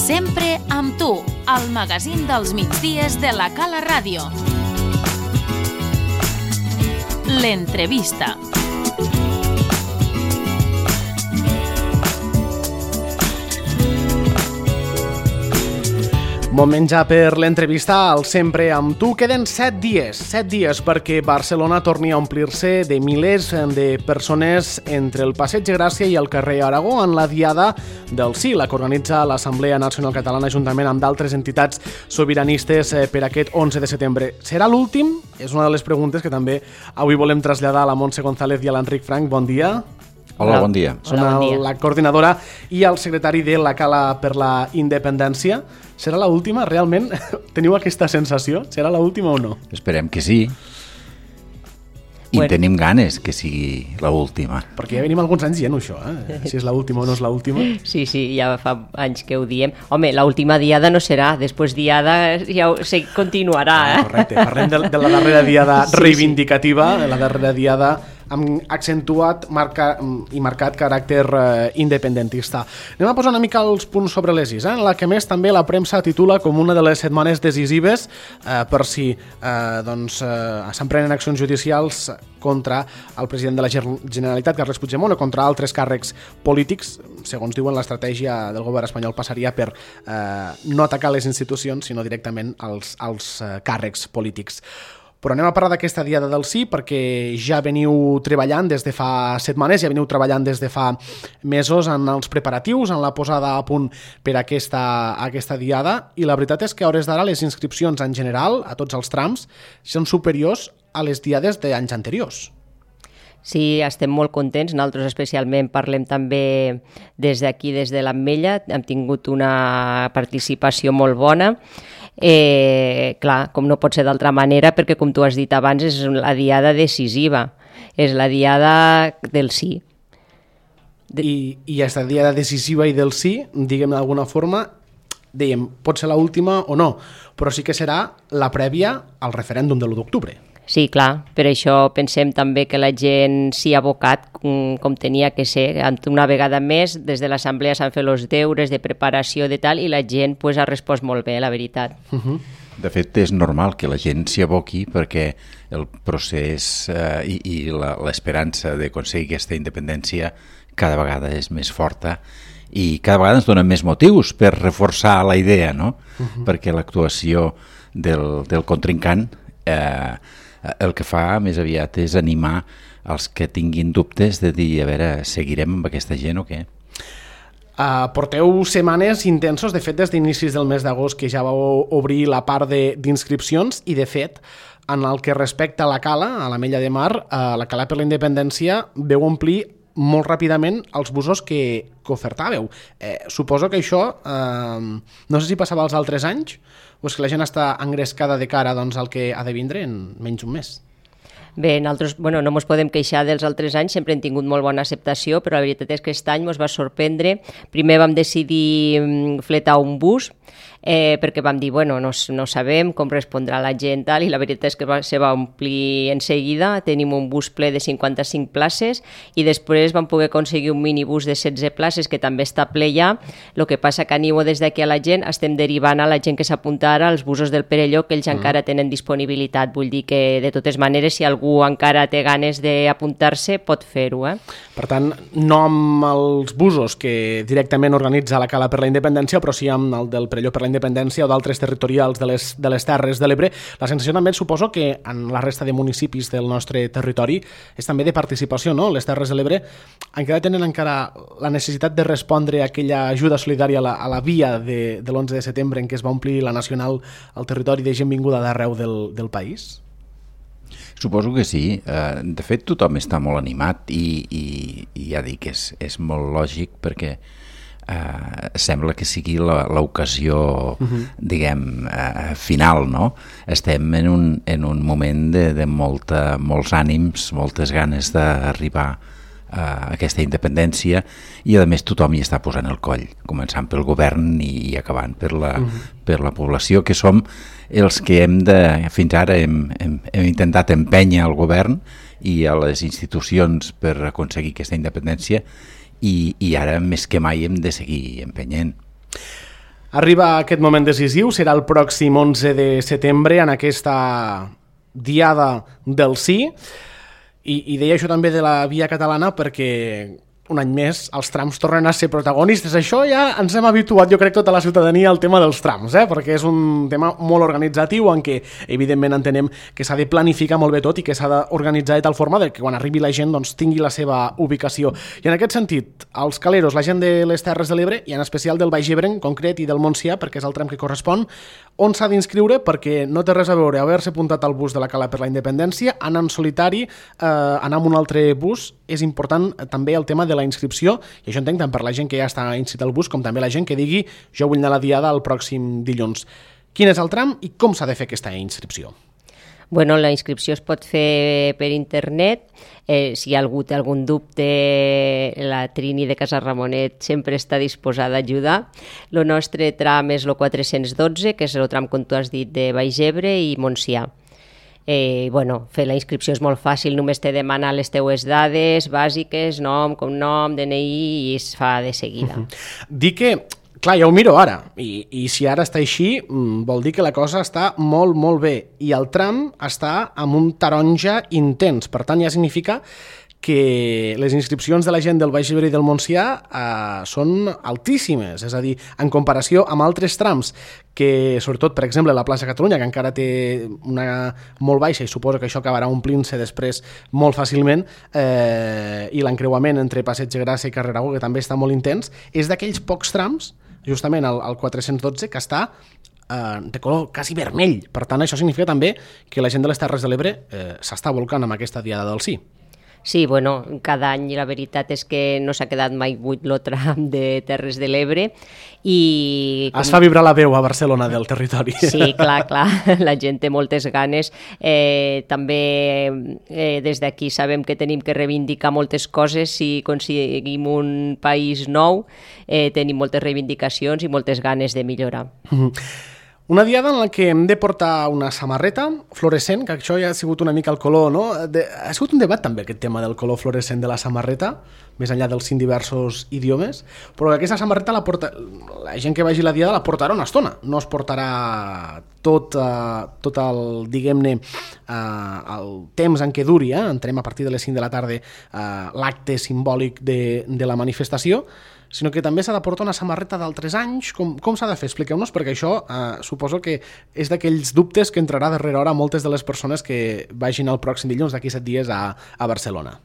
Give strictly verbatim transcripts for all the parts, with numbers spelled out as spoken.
Sempre amb tu, al magazín dels migdies de la Cala Ràdio. L'entrevista. Moment ja per l'entrevista al Sempre amb tu. Queden set dies, set dies perquè Barcelona torni a omplir-se de milers de persones entre el Passeig de Gràcia i el carrer Aragó en la Diada del Sí, la que organitza l'Assemblea Nacional Catalana juntament amb d'altres entitats sobiranistes per aquest onze de setembre. Serà l'últim? És una de les preguntes que també avui volem traslladar a la Montse González i a l'Enric Frank. Bon dia. Hola, bon dia. Són Hola, bon dia. La coordinadora i el secretari de la Cala per la Independència. Serà l'última? Realment teniu aquesta sensació? Serà l'última o no? Esperem que sí. I bueno. Tenim ganes que sigui l'última. Perquè ja venim alguns anys dient això, eh? Si és l'última o no és l'última. Sí, sí, ja fa anys que ho diem. Home, l'última diada no serà, després diada ja se continuarà, eh? Ah, correcte, parlem de, de la darrera diada sí, reivindicativa, sí. La darrera diada amb accentuat marca, i marcat caràcter eh, independentista. Anem a posar una mica els punts sobre les is, eh? En la que més també la premsa titula com una de les setmanes decisives eh, per si eh, doncs, eh, s'emprenen accions judicials contra el president de la Generalitat, Carles Puigdemont, o contra altres càrrecs polítics. Segons diuen, l'estratègia del govern espanyol passaria per eh, no atacar les institucions, sinó directament als, als eh, càrrecs polítics. Però anem a parlar d'aquesta Diada del Sí perquè ja veniu treballant des de fa setmanes, ja veniu treballant des de fa mesos en els preparatius, en la posada a punt per a aquesta, aquesta Diada, i la veritat és que a hores d'ara les inscripcions en general, a tots els trams, són superiors a les diades d'anys anteriors. Sí, estem molt contents. Nosaltres especialment parlem també des d'aquí, des de l'Ametlla. Hem tingut una participació molt bona. Eh, clar, com no pot ser d'altra manera, perquè com tu has dit abans és la diada decisiva, és la diada del sí. De... I, i aquesta diada decisiva i del sí, diguem d'alguna forma, dèiem, pot ser l'última o no, però sí que serà la prèvia al referèndum de l'u d'octubre. Sí, clar, per això pensem també que la gent s'hi ha abocat com, com tenia que ser. Una vegada més, des de l'Assemblea s'han fet els deures de preparació de tal i la gent pues, ha respost molt bé, la veritat. Uh-huh. De fet, és normal que la gent s'hi aboqui perquè el procés eh, i, i la, l'esperança d'aconseguir aquesta independència cada vegada és més forta i cada vegada ens donen més motius per reforçar la idea, no? Uh-huh. Perquè l'actuació del, del contrincant eh, el que fa més aviat és animar els que tinguin dubtes de dir, a veure, seguirem amb aquesta gent o què? Uh, porteu setmanes intensos, de fet des d'inicis del mes d'agost que ja vau obrir la part de, d'inscripcions i de fet en el que respecta a la Cala, a l'Ametlla de Mar, uh, la Cala per la Independència veu omplir molt ràpidament els busos que, que ofertàveu. Eh, suposo que això, eh, no sé si passava els altres anys, o és que la gent està engrescada de cara doncs, al que ha de vindre en menys d'un mes. Bé, nosaltres bueno, no ens podem queixar dels altres anys, sempre hem tingut molt bona acceptació, però la veritat és que aquest any ens va sorprendre. Primer vam decidir fletar un bus, eh, perquè vam dir, bueno, no, no sabem com respondrà la gent, tal, i la veritat és que va, se va omplir en seguida. Tenim un bus ple de cinquanta-cinc places i després vam poder aconseguir un minibús de setze places que també està ple ja. El que passa que animo des d'aquí a la gent, estem derivant a la gent que s'apunta ara als busos del Perelló, que ells mm. encara tenen disponibilitat. Vull dir que, de totes maneres, si algú encara té ganes d'apuntar-se, pot fer-ho. Eh? Per tant, no amb els busos que directament organitza la Cala per la Independència, però sí amb el del Perelló per la Independència o d'altres territorials de les, de les Terres de l'Ebre. La sensació també suposo que en la resta de municipis del nostre territori és també de participació, no? Les Terres de l'Ebre encara tenen encara la necessitat de respondre a aquella ajuda solidària a la, a la via de, de l'onze de setembre en què es va omplir la Nacional al territori de gent vinguda d'arreu del, del país? Suposo que sí. De fet, tothom està molt animat i, i, i ja dic, és, és molt lògic perquè eh, sembla que sigui l'ocasió, uh-huh. diguem, eh, final, no? Estem en un, en un moment de, de molta, molts ànims, moltes ganes d'arribar a aquesta independència i a més tothom hi està posant el coll, començant pel govern i, i acabant per la, uh-huh. per la població, que som els que hem de, fins ara hem, hem, hem intentat empènyer al govern i a les institucions per aconseguir aquesta independència i, i ara més que mai hem de seguir empenyent. Arriba aquest moment decisiu, serà el pròxim onze de setembre en aquesta Diada del Sí, i, i deia això també de la Via Catalana perquè un any més els trams tornen a ser protagonistes. Això ja ens hem habituat, jo crec, tota la ciutadania al tema dels trams, eh? Perquè és un tema molt organitzatiu en què, evidentment, entenem que s'ha de planificar molt bé tot i que s'ha d'organitzar de tal forma que quan arribi la gent doncs, tingui la seva ubicació. I en aquest sentit, els caleros, la gent de les Terres de l'Ebre, i en especial del Baix Ebre en concret i del Montsià, perquè és el tram que correspon, on s'ha d'inscriure, perquè no té res a veure haver-se apuntat al bus de la Cala per la Independència, anar en solitari, eh, anar amb un altre bus. És important també el tema de la inscripció, i això entenc tant per la gent que ja està inscrit al bus com també la gent que digui jo vull anar a la Diada el pròxim dilluns. Quin és el tram i com s'ha de fer aquesta inscripció? Bueno, la inscripció es pot fer per internet. Eh, si hi ha algú té algun dubte, la Trini de Casa Ramonet sempre està disposada a ajudar. El nostre tram és el quatre-cents dotze, que és el tram, com tu has dit, de Baix Ebre i Montsià. Eh, bueno, fer la inscripció és molt fàcil, només t'he de demanar les teues dades bàsiques, nom, cognom, D N I, i es fa de seguida. Uh-huh. Dic que, clar, ja ho miro ara, i, i si ara està així, vol dir que la cosa està molt, molt bé, i el tram està amb un taronja intens, per tant ja significa que les inscripcions de la gent del Baix Ebre i del Montsià eh, són altíssimes, és a dir, en comparació amb altres trams que, sobretot, per exemple, la plaça Catalunya, que encara té una molt baixa i suposo que això acabarà omplint-se després molt fàcilment, eh, i l'encreuament entre Passeig de Gràcia i Carrer Aragó, que també està molt intens, és d'aquells pocs trams, justament el, el quatre-cents dotze, que està eh, de color quasi vermell. Per tant, això significa també que la gent de les Terres de l'Ebre eh, s'està volcant amb aquesta Diada del Sí. Sí, bueno, cada any la veritat és que no s'ha quedat mai buit el tram de Terres de l'Ebre i... Es fa vibrar la veu a Barcelona del territori. Sí, clar, clar, la gent té moltes ganes. Eh, també eh, des d'aquí sabem que tenim que reivindicar moltes coses. Si aconseguim un país nou, eh, tenim moltes reivindicacions i moltes ganes de millorar. Mm-hmm. Una diada en la que hem de portar una samarreta fluorescent, que això ja ha sigut una mica el color, no? De, ha sigut un debat també aquest tema del color fluorescent de la samarreta, més enllà dels cinc diversos idiomes, però aquesta samarreta la porta, la gent que vagi a la diada la portarà una estona, no es portarà tot, uh, tot el, diguem-ne, uh, el temps en què duri, eh? Entrem a partir de les cinc de la tarda uh, l'acte simbòlic de, de la manifestació, sinó que també s'ha de portar una samarreta d'altres anys. Com, com s'ha de fer? Expliqueu-nos, perquè això eh, suposo que és d'aquells dubtes que entrarà darrere hora moltes de les persones que vagin el pròxim dilluns, d'aquí set dies, a, a Barcelona.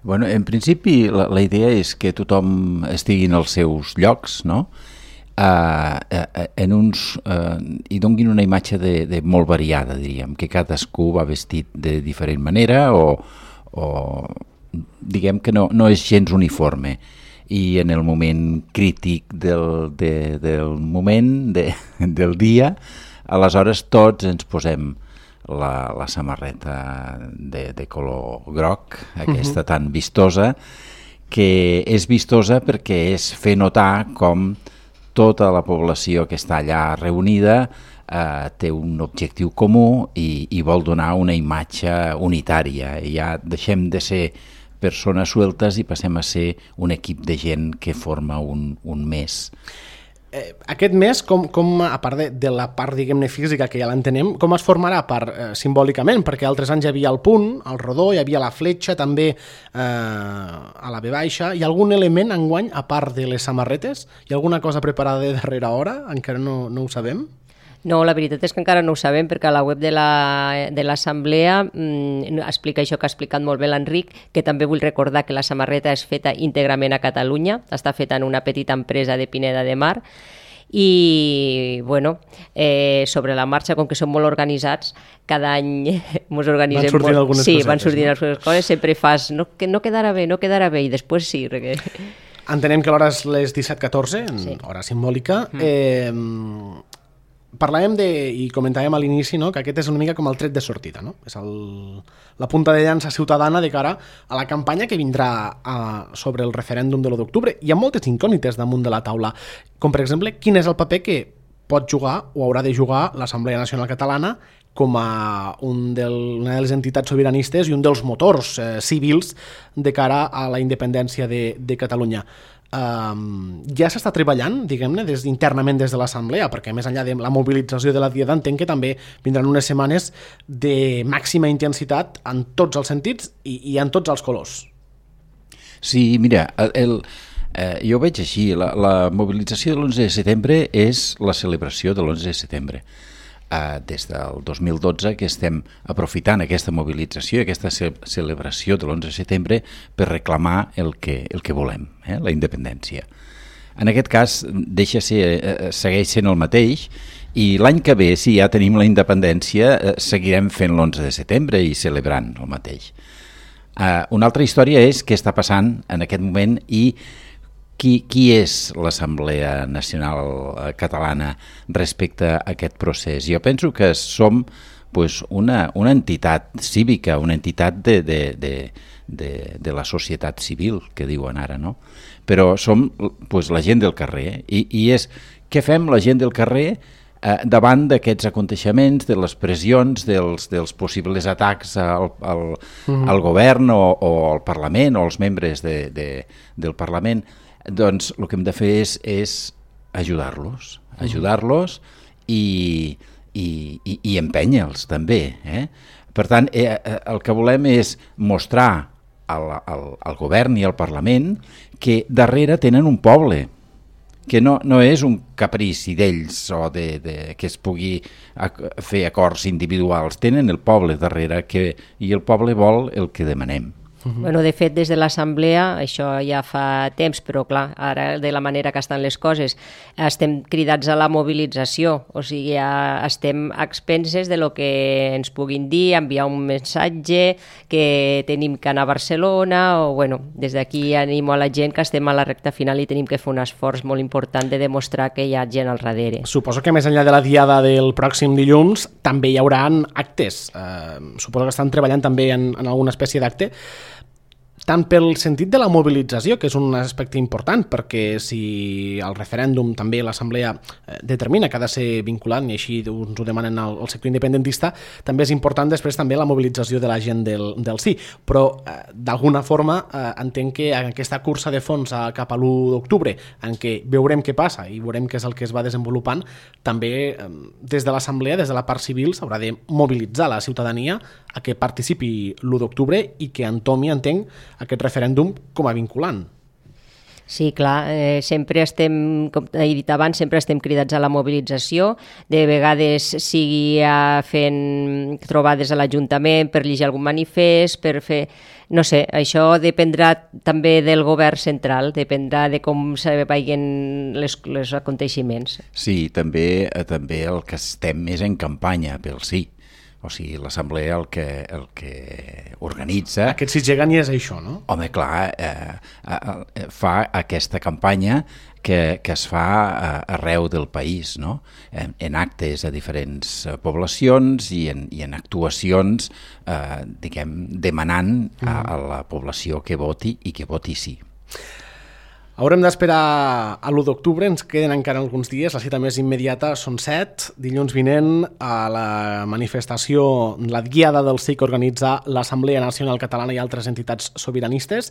Bueno, en principi la, la idea és que tothom estigui en els seus llocs, no? Uh, uh, en uns, uh, i donguin una imatge de, de molt variada, diríem, que cadascú va vestit de diferent manera o, o diguem que no, no és gens uniforme. I en el moment crític del, de, del moment, de, del dia, aleshores tots ens posem la, la samarreta de, de color groc, aquesta uh-huh. tan vistosa, que és vistosa perquè és fer notar com tota la població que està allà reunida eh, té un objectiu comú i, i vol donar una imatge unitària. I ja deixem de ser persones sueltes i passem a ser un equip de gent que forma un, un mes. Eh, aquest mes, com, com a part de, de la part, diguem-ne, física, que ja l'entenem, com es formarà part eh, simbòlicament? Perquè altres anys hi havia el punt, el rodó, hi havia la fletxa també eh, a la ve baixa. Hi ha algun element enguany, a part de les samarretes? Hi ha alguna cosa preparada de darrera hora? Encara no, no ho sabem? No, la veritat és que encara no ho sabem, perquè a la web de la, de l'Assemblea mmm, explica això que ha explicat molt bé l'Enric, que també vull recordar que la samarreta és feta íntegrament a Catalunya, està feta en una petita empresa de Pineda de Mar, i bueno, eh, sobre la marxa, com que som molt organitzats, cada any ens organitzem van sortint molt. Algunes sí, cosetes, van sortint no? algunes coses, sempre fas no, que no quedarà bé, no quedarà bé, i després sí. Perquè... Entenem que l'hora és les disset catorze, sí. Hora simbòlica. Mm. Eh, Parlàvem de, i comentàvem a l'inici, no, que aquest és una mica com el tret de sortida, no? És el, la punta de llança ciutadana de cara a la campanya que vindrà a, sobre el referèndum de l'u d'octubre. Hi ha moltes incògnites damunt de la taula, com per exemple, quin és el paper que pot jugar o haurà de jugar l'Assemblea Nacional Catalana com a un del, una de les entitats sobiranistes i un dels motors eh, civils de cara a la independència de, de Catalunya. Um, ja s'està treballant, diguem-ne, des, internament des de l'Assemblea, perquè més enllà de la mobilització de la Diada entenc que també vindran unes setmanes de màxima intensitat en tots els sentits i, i en tots els colors. Sí, mira, el, el, eh, jo ho veig així, la, la mobilització de l'onze de setembre és la celebració de l'onze de setembre. Uh, des del dos mil dotze que estem aprofitant aquesta mobilització i aquesta ce celebració de l'onze de setembre per reclamar el que, el que volem, eh? La independència. En aquest cas deixa ser, eh, segueix sent el mateix i l'any que ve, si ja tenim la independència, eh, seguirem fent l'onze de setembre i celebrant el mateix. Uh, una altra història és què està passant en aquest moment i Qui, qui és l'Assemblea Nacional Catalana respecte a aquest procés? Jo penso que som pues, una, una entitat cívica, una entitat de, de, de, de, de la societat civil, que diuen ara, no? Però som pues, la gent del carrer i, i és què fem la gent del carrer eh, davant d'aquests aconteixements, de les pressions, dels, dels possibles atacs al, al, mm-hmm. al govern o, o al Parlament o als membres de, de, del Parlament. Doncs el que hem de fer és, és ajudar-los, ajudar-los i, i, i, i empènyer-los també. Eh? Per tant, eh, el que volem és mostrar al, al, al govern i al Parlament que darrere tenen un poble, que no, no és un caprici d'ells o de, de, que es pugui fer acords individuals, tenen el poble darrere que, i el poble vol el que demanem. Uh-huh. Bueno, de fet, des de l'Assemblea, això ja fa temps, però clar, ara de la manera que estan les coses, estem cridats a la mobilització, o sigui, ja estem a expenses de lo que ens puguin dir, enviar un missatge, que tenim que anar a Barcelona, o bueno, des d'aquí animo a la gent que estem a la recta final i tenim que fer un esforç molt important de demostrar que hi ha gent al darrere. Suposo que més enllà de la diada del pròxim dilluns també hi haurà actes. Eh, suposo que estan treballant també en, en alguna espècie d'acte, tant pel sentit de la mobilització, que és un aspecte important, perquè si el referèndum també l'Assemblea determina que ha de ser vinculant, i així ens ho demanen al, al sector independentista, també és important després també la mobilització de la gent del, del sí. Però eh, d'alguna forma eh, entenc que en aquesta cursa de fons a, cap a l'u d'octubre, en què veurem què passa i veurem què és el que es va desenvolupant, també eh, des de l'Assemblea, des de la part civil, s'haurà de mobilitzar la ciutadania a que participi l'u d'octubre i que entomi, entenc, aquest referèndum com a vinculant. Sí, clar, eh, sempre estem, com he dit abans, sempre estem cridats a la mobilització, de vegades sigui fent trobades a l'Ajuntament per llegir algun manifest, per fer... No sé, això dependrà també del govern central, dependrà de com se vagin les, les aconteixements. Sí, també, també el que estem és en campanya pel sí. O sigui, l'Assemblea el que, el que organitza... Aquest si gegant i és això, no? Home, clar, eh, eh, fa aquesta campanya que, que es fa arreu del país, no? En, en actes a diferents poblacions i en, i en actuacions, eh, diguem, demanant a, a la població que voti i que voti sí. Haurem d'esperar a l'u d'octubre, ens queden encara alguns dies, la cita més immediata són set, dilluns vinent a la manifestació, la diada del sí que organitza l'Assemblea Nacional Catalana i altres entitats sobiranistes.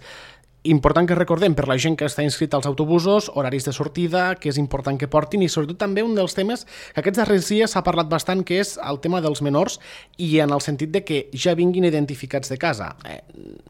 Important que recordem per la gent que està inscrita als autobusos, horaris de sortida, que és important que portin, i sobretot també un dels temes que aquests darrers dies s'ha parlat bastant, que és el tema dels menors, i en el sentit de que ja vinguin identificats de casa. Eh,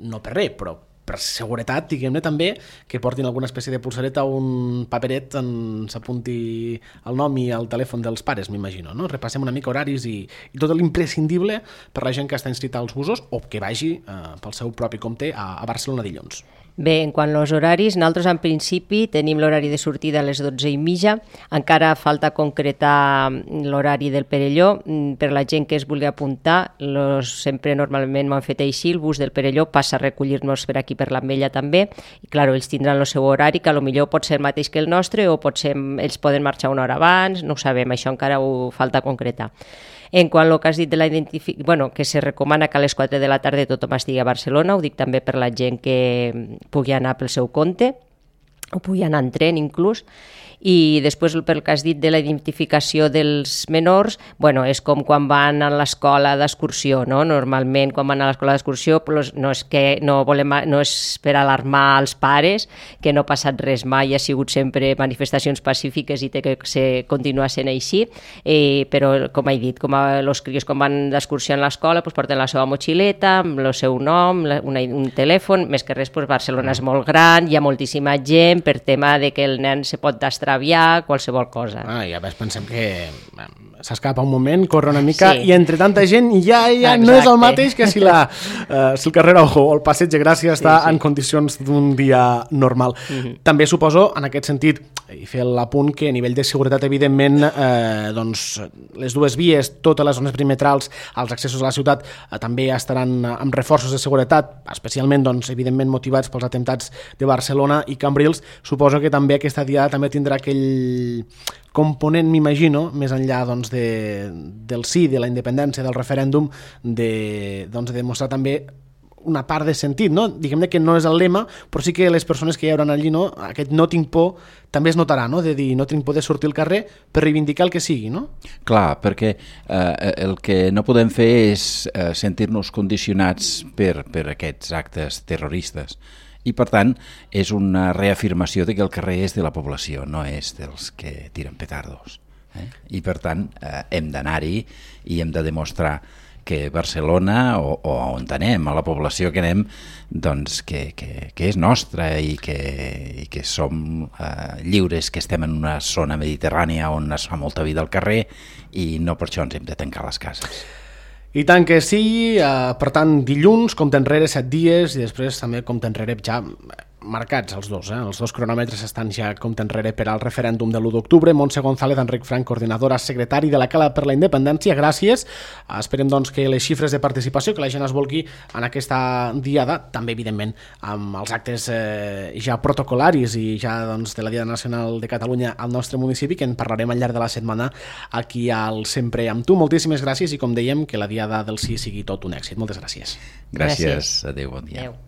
no per res, però per seguretat, diguem-ne també, que portin alguna espècie de pulsareta o un paperet on s'apunti el nom i el telèfon dels pares, m'imagino, no? Repassem una mica horaris i, i tot l'imprescindible per la gent que està inscrita als busos o que vagi eh, pel seu propi compte a, a Barcelona dilluns. Bé, en quant als horaris, nosaltres en principi tenim l'horari de sortida a les dotze i mitja, encara falta concretar l'horari del Perelló, per la gent que es vulgui apuntar, los, sempre normalment m'ho han fet així, el bus del Perelló passa a recollir-nos per aquí per l'Ametlla també, i clar, ells tindran el seu horari, que potser pot ser el mateix que el nostre o potser ells poden marxar una hora abans, no ho sabem, això encara ho falta concretar. En quant al que has dit de la identificació, bueno, que se recomana que a les quatre de la tarda tothom estigui a Barcelona, ho dic també per la gent que pugui anar pel seu compte. o pugui anar en tren inclús. I després, pel que has dit de la identificació dels menors, bueno, és com quan van a l'escola d'excursió, no? Normalment, quan van a l'escola d'excursió, no és, que no, volem, no és per alarmar els pares, que no ha passat res mai, ha sigut sempre manifestacions pacífiques i té que ser, continuar sent així, eh, però, com he dit, com els crios quan van d'excursió a l'escola, doncs porten la seva motxileta, amb el seu nom, una, un telèfon, més que res, doncs Barcelona és molt gran, hi ha moltíssima gent, per tema de que el nen se pot destrar aviar, qualsevol cosa. Ah, ja ves, pensem que s'escapa un moment, corre una mica, sí. I entre tanta gent ja, ja Exacte. No és el mateix que si, la, uh, si el carrer o el passeig de Gràcia està sí, sí. en condicions d'un dia normal. Mm-hmm. També suposo, en aquest sentit, i fer l'apunt que a nivell de seguretat, evidentment, eh, doncs, les dues vies, totes les zones perimetrals, els accessos a la ciutat, eh, també estaran amb reforços de seguretat, especialment, doncs, evidentment, motivats pels atemptats de Barcelona i Cambrils. Suposo que també aquesta diada també tindrà aquell component, m'imagino, més enllà doncs, de, del sí, de la independència, del referèndum, de, doncs, de demostrar també una part de sentit, no? Diguem que no és el lema, però sí que les persones que hi hauran allí, no? Aquest no tinc por també es notarà, no? De dir no tinc por de sortir al carrer per reivindicar el que sigui, no? Clar, perquè eh, el que no podem fer és eh, sentir-nos condicionats per, per aquests actes terroristes. I, per tant, és una reafirmació de que el carrer és de la població, no és dels que tiren petardos. Eh? I, per tant, eh, hem d'anar-hi i hem de demostrar que Barcelona, o, o on anem, a la població que anem, doncs que, que, que és nostra i que, i que som eh, lliures, que estem en una zona mediterrània on es fa molta vida al carrer i no per això ens hem de tancar les cases. I tant que sí, eh, per tant, dilluns, compte enrere, set dies, i després també compte enrere ja marcats els dos, eh? Els dos cronòmetres estan ja compte enrere per al referèndum de l'u d'octubre. Montse González, Enric Frank, coordinadora, secretari de la Cala per la Independència, gràcies. Esperem doncs que les xifres de participació, que la gent es volgui en aquesta diada, també evidentment amb els actes eh, ja protocolaris i ja doncs, de la Diada Nacional de Catalunya al nostre municipi, que en parlarem al llarg de la setmana aquí al Sempre amb tu. Moltíssimes gràcies i, com dèiem, que la Diada del Sí sigui tot un èxit. Moltes gràcies. Gràcies. Adéu, bon dia. Adéu.